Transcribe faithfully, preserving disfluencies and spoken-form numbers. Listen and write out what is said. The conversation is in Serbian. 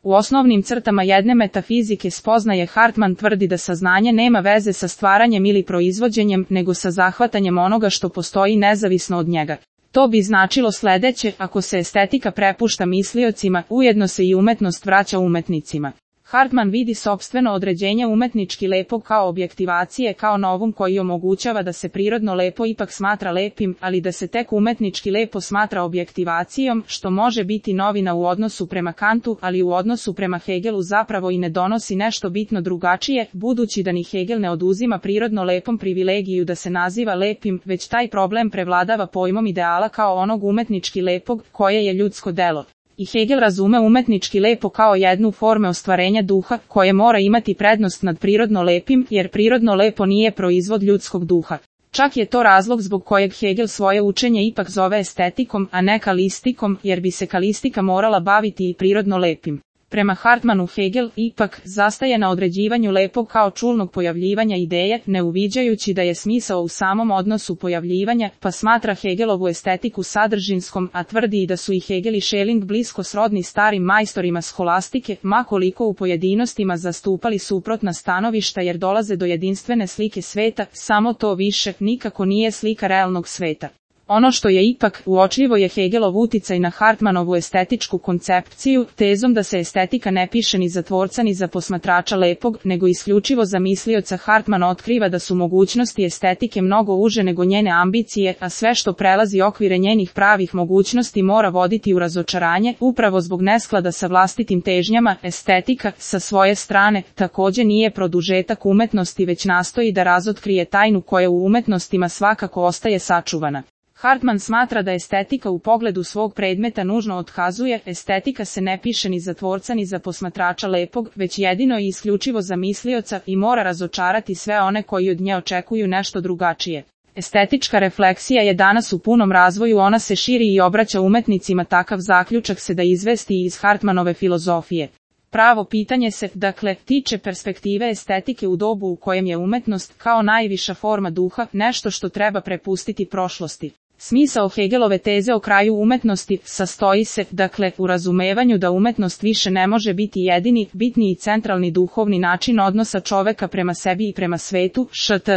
U osnovnim crtama jedne metafizike spoznaje Hartman tvrdi da saznanje nema veze sa stvaranjem ili proizvođenjem, nego sa zahvatanjem onoga što postoji nezavisno od njega. To bi značilo sledeće: ako se estetika prepušta misliocima, ujedno se i umetnost vraća umetnicima. Hartman vidi sopstveno određenje umetnički lepog kao objektivacije, kao novum koji omogućava da se prirodno lepo ipak smatra lepim, ali da se tek umetnički lepo smatra objektivacijom, što može biti novina u odnosu prema Kantu, ali u odnosu prema Hegelu zapravo i ne donosi nešto bitno drugačije, budući da ni Hegel ne oduzima prirodno lepom privilegiju da se naziva lepim, već taj problem prevladava pojmom ideala kao onog umetnički lepog, koje je ljudsko delo. I Hegel razume umetnički lepo kao jednu forme ostvarenja duha, koje mora imati prednost nad prirodno lepim, jer prirodno lepo nije proizvod ljudskog duha. Čak je to razlog zbog kojeg Hegel svoje učenje ipak zove estetikom, a ne kalistikom, jer bi se kalistika morala baviti i prirodno lepim. Prema Hartmanu Hegel ipak zastaje na određivanju lepog kao čulnog pojavljivanja ideje, ne uviđajući da je smisao u samom odnosu pojavljivanja, pa smatra Hegelovu estetiku sadržinskom, a tvrdi i da su i Hegel i Schelling blisko srodni starim majstorima sholastike, ma koliko u pojedinostima zastupali suprotna stanovišta jer dolaze do jedinstvene slike sveta, samo to više nikako nije slika realnog sveta. Ono što je ipak uočljivo je Hegelov uticaj na Hartmanovu estetičku koncepciju, tezom da se estetika ne piše ni za tvorca ni za posmatrača lepog, nego isključivo za mislioca. Hartman otkriva da su mogućnosti estetike mnogo uže nego njene ambicije, a sve što prelazi okvire njenih pravih mogućnosti mora voditi u razočaranje, upravo zbog nesklada sa vlastitim težnjama. Estetika, sa svoje strane, takođe nije produžetak umetnosti, već nastoji da razotkrije tajnu koja u umetnostima svakako ostaje sačuvana. Hartman smatra da estetika u pogledu svog predmeta nužno otkazuje: estetika se ne piše ni za tvorca ni za posmatrača lepog, već jedino i isključivo za mislioca i mora razočarati sve one koji od nje očekuju nešto drugačije. Estetička refleksija je danas u punom razvoju, ona se širi i obraća umetnicima, takav zaključak se da izvesti iz Hartmanove filozofije. Pravo pitanje se, dakle, tiče perspektive estetike u dobu u kojem je umetnost, kao najviša forma duha, nešto što treba prepustiti prošlosti. Smisao Hegelove teze o kraju umetnosti sastoji se, dakle, u razumevanju da umetnost više ne može biti jedini, bitni i centralni duhovni način odnosa čoveka prema sebi i prema svetu, št.